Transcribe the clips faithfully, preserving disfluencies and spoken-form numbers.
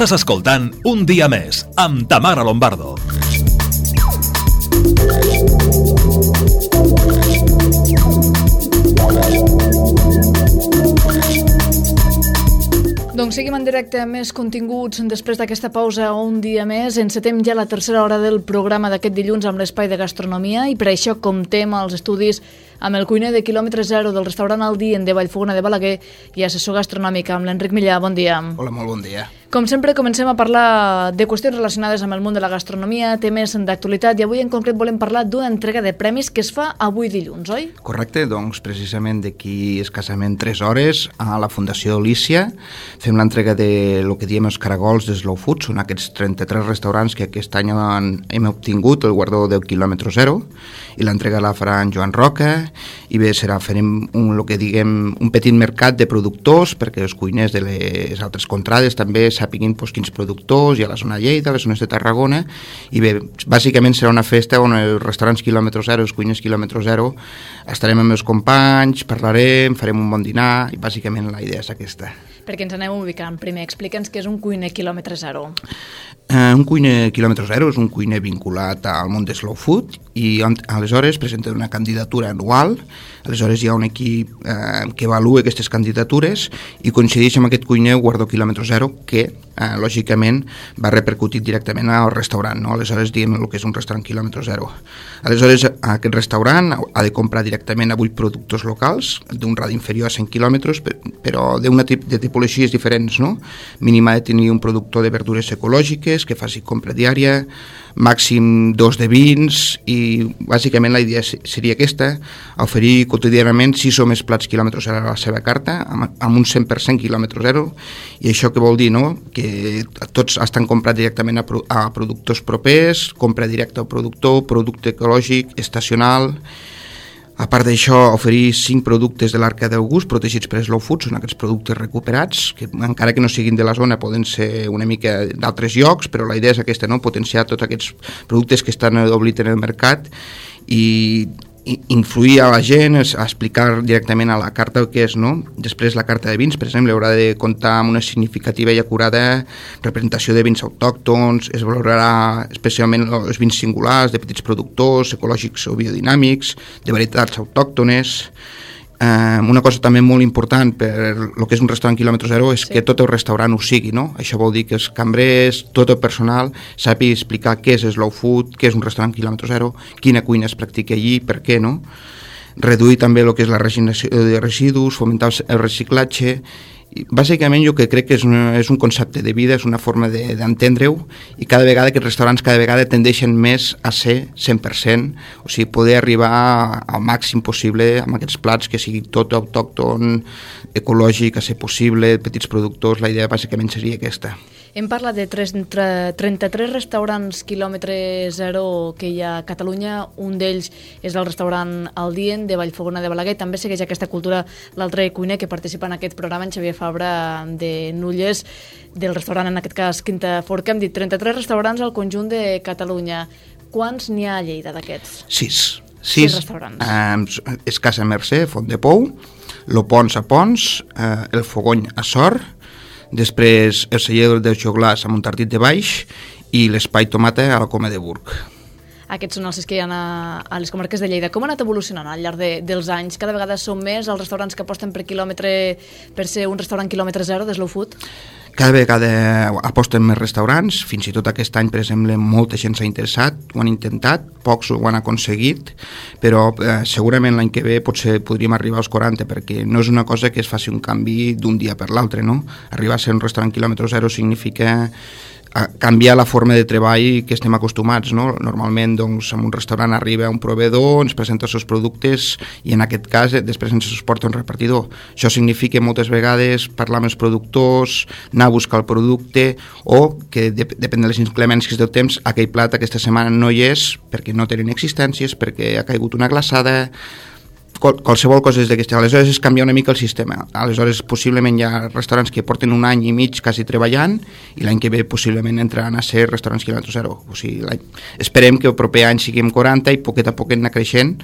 Estàs escoltant Un dia més amb Tamara Lombardo. Doncs seguim en directe amb més continguts després d'aquesta pausa un dia més. Encetem ja la tercera hora del programa d'aquest dilluns amb l'espai de gastronomia i per això comptem els estudis amb el cuiner de quilòmetre zero del restaurant El Dient de Vallfogona de Balaguer i assessor gastronòmic amb l'Enric Millà. Bon dia. Hola, molt bon dia. Com sempre, comencem a parlar de qüestions relacionades amb el món de la gastronomia, temes d'actualitat, i avui en concret volem parlar d'una entrega de premis que es fa avui dilluns, oi? Correcte, doncs precisament d'aquí escassament tres hores a la Fundació Lícia fem l'entrega de lo que diem els caragols de Slow Food. Són aquests trenta-tres restaurants que aquest any han, hem obtingut el guardó del quilòmetre zero, i l'entrega la farà en Joan Roca, i bé, serà, farem un, lo que diguem, un petit mercat de productors perquè els cuiners de les altres contrades també sàpiguin pues, quins productors hi ha a la zona de Lleida, a les zones de Tarragona, i bé, bàsicament serà una festa on els restaurants quilòmetre zero, els cuiners quilòmetre zero, estarem amb els companys, parlarem, farem un bon dinar, i bàsicament la idea és aquesta. Perquè ens anem ubicant. Primer, explica'ns què és un cuiner quilòmetre zero. Uh, un cuiner quilòmetre zero és un cuiner vinculat al món de Slow Food i aleshores presenta una candidatura anual. Aleshores hi ha un equip eh, que avalua aquestes candidatures i coincideix amb aquest cuiner guardó quilòmetre zero que, eh, lògicament, va repercutir directament al restaurant, no? Aleshores diem el que és un restaurant quilòmetre zero. Aleshores aquest restaurant ha de comprar directament a vuit productors locals d'un radi inferior a cent quilòmetres, però d'una tip de tipologies diferents, no? Mínim ha de tenir un productor de verdures ecològiques que faci compra diària, màxim dos de vins, i bàsicament la idea seria aquesta, oferir quotidianament sis o més plats quilòmetre zero a la seva carta, amb, amb un cent per cent quilòmetre zero, i això què vol dir, no? Que tots estan comprats directament a, pro, a productors propers, compra directa al productor, producte ecològic, estacional. A part d'això, oferir cinc productes de l'Arca d'August protegits per Slow Food, són aquests productes recuperats, que encara que no siguin de la zona poden ser una mica d'altres llocs, però la idea és aquesta, no? Potenciar tots aquests productes que estan oblits en el mercat i influir a la gent, a explicar directament a la carta el que és, no? Després la carta de vins, per exemple, haurà de comptar amb una significativa i acurada representació de vins autòctons, es valorarà especialment els vins singulars de petits productors, ecològics o biodinàmics, de varietats autòctones. Uh, una cosa també molt important per el que és un restaurant quilòmetre zero és sí. que tot el restaurant ho sigui, no? Això vol dir que els cambrers, tot el personal sàpiga explicar què és Slow Food, què és un restaurant quilòmetre zero, quina cuina es practica allí, per què, no? Reduir també el que és la regeneració de residus, fomentar el reciclatge. I bàsicament jo que crec que és, una, és un concepte de vida, és una forma de, d'entendre-ho, i cada vegada aquests restaurants cada vegada tendeixen més a ser cent per cent, o sigui, poder arribar al màxim possible amb aquests plats que sigui tot autòcton, ecològic, a ser possible, petits productors. La idea bàsicament seria aquesta. Hem parlat de trenta-tres restaurants quilòmetre zero que hi ha a Catalunya. Un d'ells és el restaurant El Dient de Vallfogona de Balaguer. També segueix aquesta cultura l'altre cuiner que participa en aquest programa, en Xavier Fabra de Nulles, del restaurant, en aquest cas, Quinta Forca. Hem dit trenta-tres restaurants al conjunt de Catalunya. Quants n'hi ha a Lleida d'aquests? Sis. Sis, Sis restaurants. Eh, és Casa Mercè, Font de Pou, Lo Pons a Pons, eh, El Fogony a Sort, després el celler del Joglàs a Montartit de Baix i l'Espai Tomata a la Coma de Burg. Aquests són els que hi ha a, a les comarques de Lleida. Com ha anat evolucionant al llarg de, dels anys? Cada vegada són més els restaurants que aposten per quilòmetre, per ser un restaurant quilòmetre zero de Slow Food? Cada vegada aposten més restaurants, fins i tot aquest any, per exemple, molta gent s'ha interessat, ho han intentat, pocs ho han aconseguit, però eh, segurament l'any que ve potser podríem arribar als quaranta, perquè no és una cosa que es faci un canvi d'un dia per l'altre, no? Arribar a ser un restaurant quilòmetre zero significa a canviar la forma de treball que estem acostumats, no? Normalment, doncs, en un restaurant arriba un proveïdor, ens presenta els seus productes i en aquest cas després ens els porta un repartidor. Això significa moltes vegades parlar amb els productors, anar a buscar el producte, o que dep depèn de les inclemències del temps, aquell plat aquesta setmana no hi és perquè no tenen existències, perquè ha caigut una glaçada, qualsevol cosa és d'aquesta. Aleshores és canviar una mica el sistema. Aleshores possiblement hi ha restaurants que porten un any i mig quasi treballant i l'any que ve possiblement entraran a ser restaurants quilòmetre zero. O sigui, esperem que el proper any siguem quaranta i poquet a poquet anar creixent,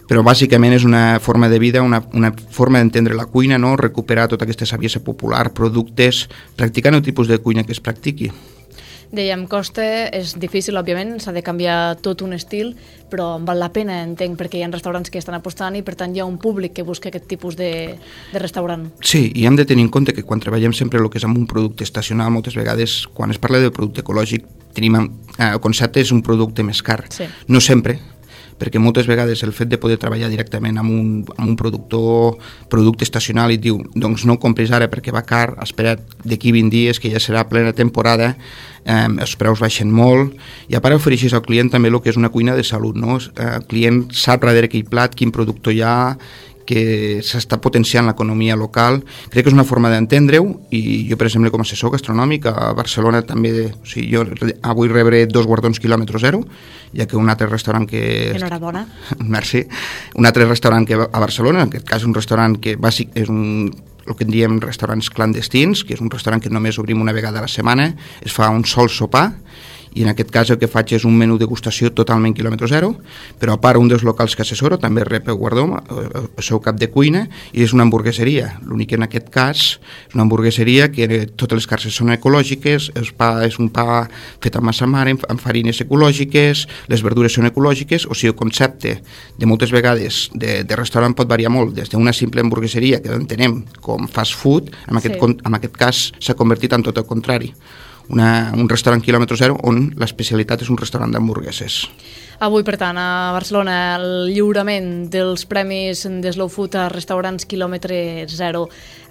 però bàsicament és una forma de vida, una, una forma d'entendre la cuina, no? Recuperar tota aquesta saviesa popular, productes, practicant el tipus de cuina que es practiqui. Dèiem, costa, és difícil, òbviament, s'ha de canviar tot un estil, però val la pena, entenc, perquè hi ha restaurants que estan apostant i, per tant, hi ha un públic que busca aquest tipus de, de restaurant. Sí, i hem de tenir en compte que quan treballem sempre el que és amb un producte estacional, moltes vegades, quan es parla de producte ecològic, tenim, eh, el concepte és un producte més car. Sí. No sempre, perquè moltes vegades el fet de poder treballar directament amb un, amb un productor, producte estacional, i et diu, doncs no compris ara perquè va car, espera't d'aquí vint dies que ja serà plena temporada, eh, els preus baixen molt, i a part ofereixes al client també el que és una cuina de salut, no? El client sap darrere aquell plat, quin productor hi ha, que s'està potenciant l'economia local. Crec que és una forma d'entendre-ho, i jo, per exemple, com a assessor gastronòmic a Barcelona també, o sigui, jo avui rebré dos guardons quilòmetre zero, ja que un altre restaurant que... Enhorabona. Merci. Un altre restaurant que a Barcelona, en aquest cas un restaurant que bàsic és un el que en diem restaurants clandestins, que és un restaurant que només obrim una vegada a la setmana, es fa un sol sopar, i en aquest cas el que faig és un menú degustació totalment quilòmetre zero, però a part un dels locals que assessoro també rep el guardó, el seu cap de cuina, i és una hamburgueseria. L'únic que en aquest cas és una hamburgueseria que totes les carns són ecològiques, el pa és un pa fet amb massa mare, amb farines ecològiques, les verdures són ecològiques, o sigui, el concepte de moltes vegades de, de restaurant pot variar molt, des d'una simple hamburgueseria que entenem com fast food, en aquest, sí. en aquest cas s'ha convertit en tot el contrari. Una, un restaurant quilòmetre zero on l'especialitat és un restaurant d'hamburgueses. Avui, per tant, a Barcelona, el lliurament dels premis de Slow Food a restaurants quilòmetre zero.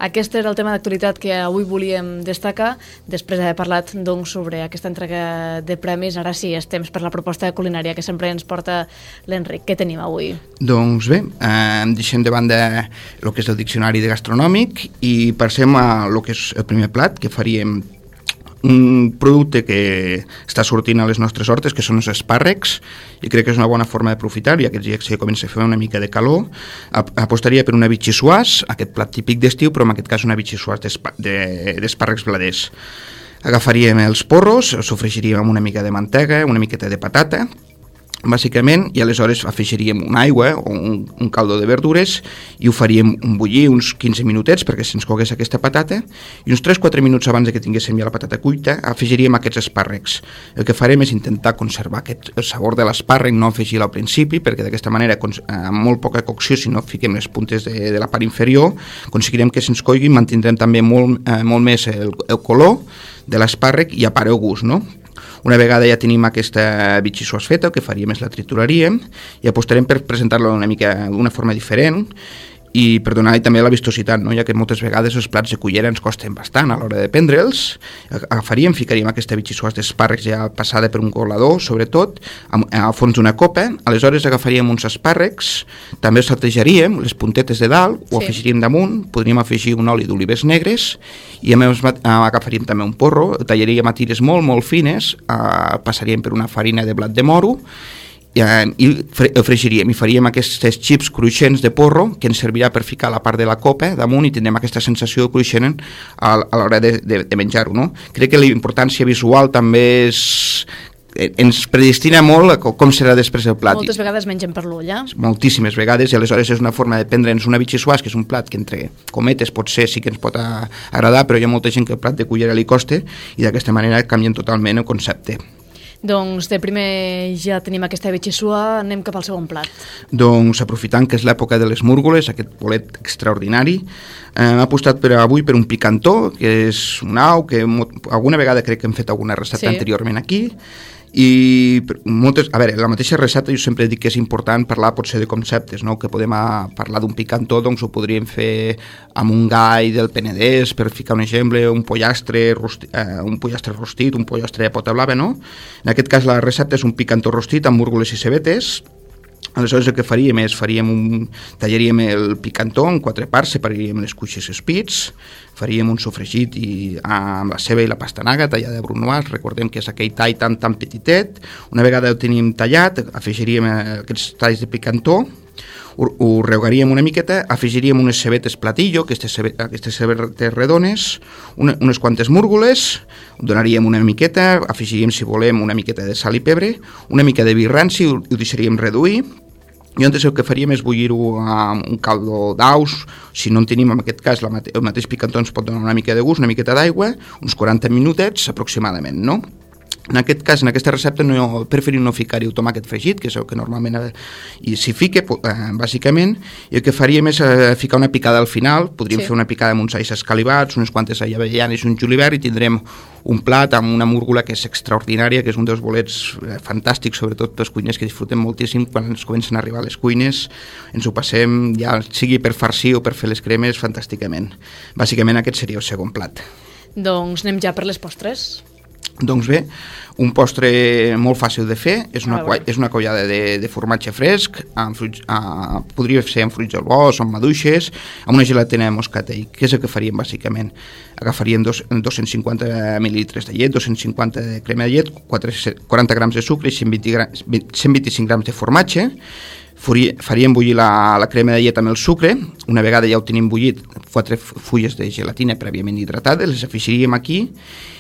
Aquest era el tema d'actualitat que avui volíem destacar, després d'haver parlat doncs, sobre aquesta entrega de premis. Ara sí, és temps per la proposta culinària que sempre ens porta l'Enric. Què tenim avui? Doncs bé, eh, deixem de banda el que és el diccionari de gastronòmic i passem a el que és el primer plat, que faríem un producte que està sortint a les nostres hortes, que són els espàrrecs, i crec que és una bona forma d'aprofitar, ja que ja comença a fer una mica de calor. Apostaria per una bitxissuàs, aquest plat típic d'estiu, però en aquest cas una bitxissuàs d'espàrrecs bladers. Agafaríem els porros, els sofregiríem amb una mica de mantega, una miqueta de patata, bàsicament, i aleshores afegiríem una aigua o un, un caldo de verdures i ho faríem un bullir uns quinze minutets perquè se'ns cogués aquesta patata, i uns tres quatre minuts abans que tinguéssim ja la patata cuita afegiríem aquests espàrrecs. El que farem és intentar conservar aquest, el sabor de l'espàrrec, no afegir-lo al principi, perquè d'aquesta manera, amb molt poca cocció, si no fiquem les puntes de, de la part inferior, aconseguirem que se'ns coigui, mantindrem també molt, eh, molt més el, el color de l'espàrrec i a part el gust, no? Una vegada ja tenim aquesta bitxissuàs feta, el que faríem és la trituraríem i apostarem per presentar-la una mica d'una forma diferent i per donar-hi també la vistositat, no? Ja que moltes vegades els plats de cullera ens costen bastant a l'hora de prendre'ls. Agafaríem, ficaríem aquesta bitxissuàs d'espàrrecs ja passada per un colador, sobretot, al fons d'una copa, aleshores agafaríem uns espàrrecs, també els saltejaríem, les puntetes de dalt, ho sí. afegiríem damunt, podríem afegir un oli d'olives negres i a més agafaríem també un porro, tallaríem a tires molt, molt fines, eh, passaríem per una farina de blat de moro i el fregiríem i faríem aquests xips cruixents de porro que ens servirà per ficar la part de la copa damunt i tindrem aquesta sensació de cruixent a l'hora de, de, de menjar-ho, no? Crec que la importància visual també és ens predestina molt a com serà després el plat. Moltes vegades mengen per l'ull, eh? Moltíssimes vegades, i aleshores és una forma de prendre'ns una bitxissuàs, que és un plat que entre cometes potser sí que ens pot agradar, però hi ha molta gent que el plat de cullera li costa i d'aquesta manera canvien totalment el concepte. Doncs de primer ja tenim aquesta bitxissuà, anem cap al segon plat. Doncs aprofitant que és l'època de les múrgoles, aquest bolet extraordinari, eh, hem apostat per avui per un picantó, que és un au, que alguna vegada crec que hem fet alguna recepta sí. anteriorment aquí, i moltes, a veure, la mateixa recepta jo sempre dic que és important parlar potser de conceptes, no? Que podem a, parlar d'un picantó, doncs ho podríem fer amb un gall del Penedès, per ficar un exemple, un pollastre rostit, eh, un pollastre rostit, un pollastre de pota blava, no? En aquest cas la recepta és un picantó rostit amb múrgoles i cebetes. Aleshores el que faríem és faríem un, tallaríem el picantó en quatre parts, separaríem les cuixes i els pits, faríem un sofregit i, amb la ceba i la pastanaga tallada de brunoise, recordem que és aquell tall tan tan petitet. Una vegada el tenim tallat, afegiríem aquests talls de picantó, ho, ho regaríem una miqueta, afegiríem unes cebetes platillo, aquestes, cebe, aquestes cebetes redones, una, unes quantes múrgoles, donaríem una miqueta, afegiríem si volem una miqueta de sal i pebre, una mica de vi ranci, ho, ho deixaríem reduir, Llavors el que faríem és bullir-ho amb un caldo d'aus, si no en tenim en aquest cas la mate- el mateix picantó ens pot donar una mica de gust, una miqueta d'aigua, uns quaranta minutets aproximadament, no? En aquest cas, en aquesta recepta, no, preferim no ficar-hi el tomàquet fregit, que és el que normalment eh, i s'hi fica, eh, bàsicament, i el que faríem és eh, ficar una picada al final, podríem Sí. fer una picada amb uns alls escalivats, unes quantes avellanes i un julivert, i tindrem un plat amb una múrgola que és extraordinària, que és un dels bolets eh, fantàstics, sobretot pels cuiners que disfrutem moltíssim quan ens comencen a arribar a les cuines, ens ho passem, ja sigui per farcir o per fer les cremes, fantàsticament. Bàsicament aquest seria el segon plat. Doncs anem ja per les postres. Doncs bé, un postre molt fàcil de fer, és una, A veure. és una collada de, de formatge fresc, amb fruits, uh, podria ser amb fruits del bosc, amb maduixes, amb una gelatina de moscatell. Què és el que faríem bàsicament? Agafaríem dos, dos-cents cinquanta mil·lilitres de llet, dos-cents cinquanta de crema de llet, quaranta grams de sucre i cent vint grams, cent vint-i-cinc grams de formatge. Faríem bullir la, la crema de llet amb el sucre. Una vegada ja ho tenim bullit, quatre fulles de gelatina prèviament hidratades, les afegiríem aquí,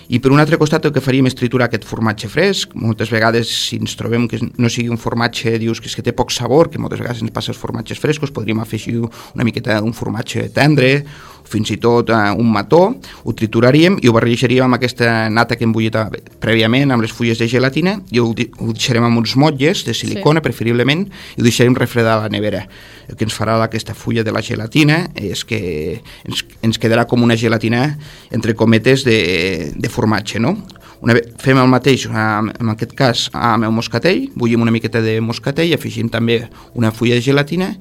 i per un altre costat el que faríem és triturar aquest formatge fresc. Moltes vegades, si ens trobem que no sigui un formatge, dius que és que té poc sabor, que moltes vegades ens passa els formatges frescos, podríem afegir una miqueta d'un formatge tendre, fins i tot uh, un mató, ho trituraríem i ho barrejaríem amb aquesta nata que hem bullit prèviament amb les fulles de gelatina, i ho, ho deixarem amb uns motlles de silicona, sí. preferiblement, i ho deixarem refredar a la nevera. El que ens farà aquesta fulla de la gelatina és que ens, ens quedarà com una gelatina, entre cometes, de, de formatge, no? Una ve- fem el mateix, en aquest cas, amb el moscatell, bullim una miqueta de moscatell, afegim també una fulla de gelatina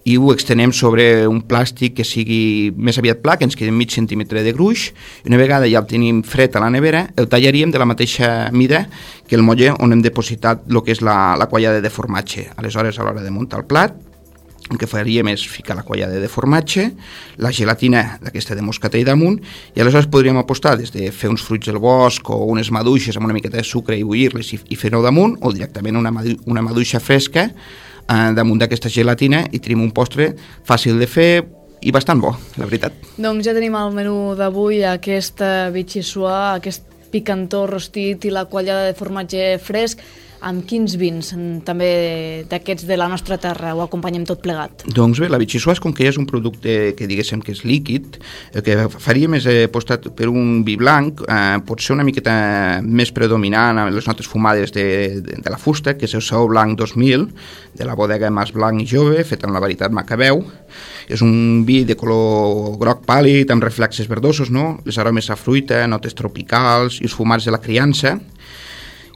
i ho extenem sobre un plàstic que sigui més aviat pla, que ens quedi mig centímetre de gruix, i una vegada ja el tenim fred a la nevera, el tallaríem de la mateixa mida que el motlle on hem depositat el que és la, la quallada de formatge. Aleshores, a l'hora de muntar el plat, el que faríem és ficar la quallada de formatge, la gelatina d'aquesta de moscatell damunt, i aleshores podríem apostar des de fer uns fruits del bosc o unes maduixes amb una miqueta de sucre i bullir-les i, i fer-ho damunt, o directament una, madu una maduixa fresca eh, damunt d'aquesta gelatina, i tenim un postre fàcil de fer i bastant bo, la veritat. Doncs ja tenim al menú d'avui aquesta bitxissuà, aquest picantó rostit i la quallada de formatge fresc. Amb quins vins, també d'aquests de la nostra terra, ho acompanyem tot plegat? Doncs bé, la bitxissuàs, com que ja és un producte que diguéssim que és líquid, el que faríem és apostar per un vi blanc, eh, pot ser una miqueta més predominant en les notes fumades de, de, de la fusta, que és el Saó Blanc dos mil, de la bodega Mas Blanc i Jove, fet amb la varietat Macabeu. És un vi de color groc pàl·lid, amb reflexes verdosos, no? Les aromes a fruita, notes tropicals i els fumats de la criança.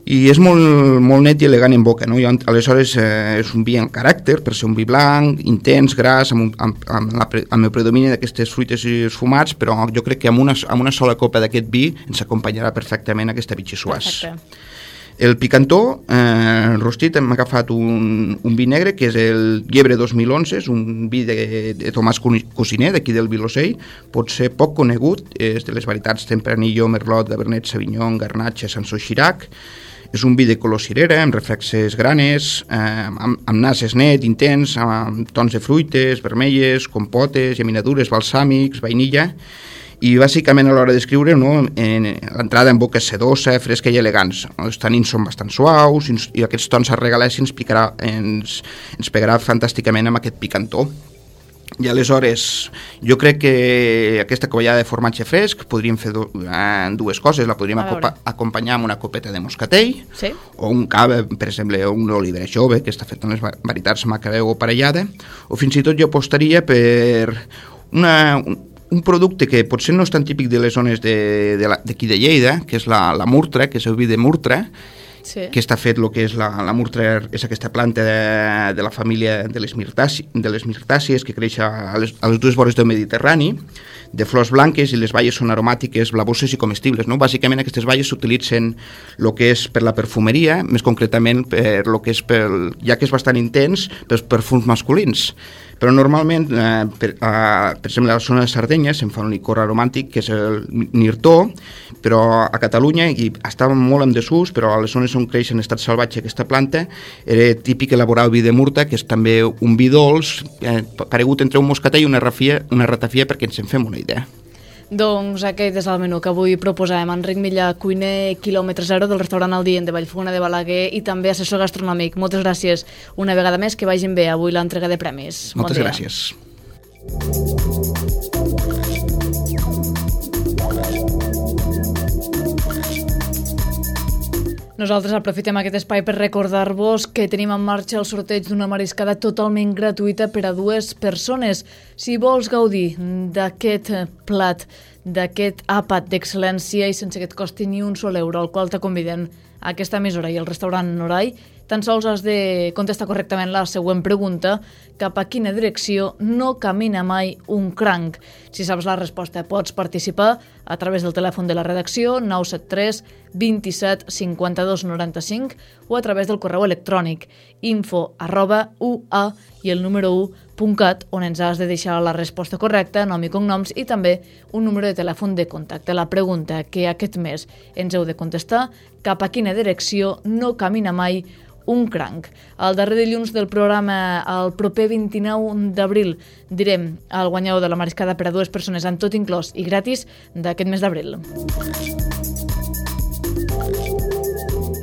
I és molt, molt net i elegant en boca, no? I aleshores eh, és un vi en caràcter, per ser un vi blanc, intens, gras, amb, amb, amb, la, amb el predomini d'aquestes fruites i els fumats, però jo crec que amb una, amb una sola copa d'aquest vi ens acompanyarà perfectament aquesta bitxissuàs. Perfecte. El picantó, eh, rostit, hem agafat un, un vi negre, que és el Llebre dos mil onze, és un vi de, de Tomàs Cosiner, d'aquí del Vilosell, pot ser poc conegut, és de les varietats Tempranillo, Merlot, Cabernet Sauvignon, Garnatxa, Sanso Xirac. És un vi de color cirera, amb reflexes granes, eh, amb, amb nases net, intens, amb tons de fruites, vermelles, compotes, geminadures, balsàmics, vainilla, i bàsicament a l'hora d'escriure, no, l'entrada en boca és sedosa, fresca i elegants. Els tanins són bastant suaus i aquests tons arregalats ens, picarà, ens, ens pegarà fantàsticament amb aquest picantó. I aleshores, jo crec que aquesta covellada de formatge fresc podríem fer du eh, dues coses. La podríem acompanyar amb una copeta de moscatell, sí. o un cava, per exemple, un olivera jove, que està fet amb les varietats Macabeu o parellada, o fins i tot jo apostaria per una, un, un producte que potser no és tan típic de les zones d'aquí de, de, de Lleida, que és la, la murtra, que és el vi de murtra, sí. que està fet el que és la, la murtra, és aquesta planta de, de la família de les, mirtàcies, de les mirtàcies que creix a les, a les dues vores del Mediterrani, de flors blanques, i les baies són aromàtiques, blavoses i comestibles, no? Bàsicament aquestes baies s'utilitzen el que és per la perfumeria, més concretament per lo que és pel, ja que és bastant intens, pels perfums masculins. Però normalment, eh, per, eh, per exemple, a la zona de Sardenya se'n fa un licor aromàtic que és el Nirtó, però a Catalunya, i estava molt en desús, però a les zones on creix en estat salvatge aquesta planta, era típic elaborar el vi de murta, que és també un vi dolç, eh, paregut entre un moscatell i una, rafia, una ratafia, perquè ens en fem una idea. Doncs aquest és el menú que avui proposàvem. Enric Millà, cuiner quilòmetre zero del restaurant El Dient de Vallfogona de Balaguer i també assessor gastronòmic. Moltes gràcies una vegada més, que vagin bé avui l'entrega de premis. Moltes bon gràcies. Nosaltres aprofitem aquest espai per recordar-vos que tenim en marxa el sorteig d'una mariscada totalment gratuïta per a dues persones. Si vols gaudir d'aquest plat, d'aquest àpat d'excel·lència i sense que et costi ni un sol euro, al qual te conviden a aquesta emissora i el restaurant Norai, tan sols has de contestar correctament la següent pregunta: cap a quina direcció no camina mai un cranc? Si saps la resposta, pots participar a través del telèfon de la redacció nou set tres vint set cinquanta-dos noranta-cinc o a través del correu electrònic info arroba ua i el número u punt cat, on ens has de deixar la resposta correcta, nom i cognoms i també un número de telèfon de contacte. La pregunta que aquest mes ens heu de contestar: cap a quina direcció no camina mai un cranc? El darrer dilluns del programa, el proper vint-i-nou d'abril, direm el guanyador de la mariscada per a dues persones amb tot inclòs i gratis d'aquest mes d'abril.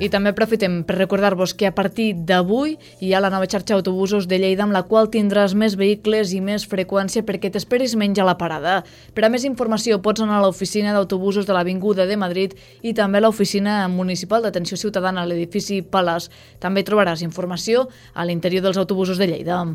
I també aprofitem per recordar-vos que a partir d'avui hi ha la nova xarxa d'autobusos de Lleida, amb la qual tindràs més vehicles i més freqüència perquè t'esperis menys a la parada. Per a més informació pots anar a l'oficina d'autobusos de l'Avinguda de Madrid i també a l'oficina municipal d'atenció ciutadana a l'edifici Palace. També trobaràs informació a l'interior dels autobusos de Lleida.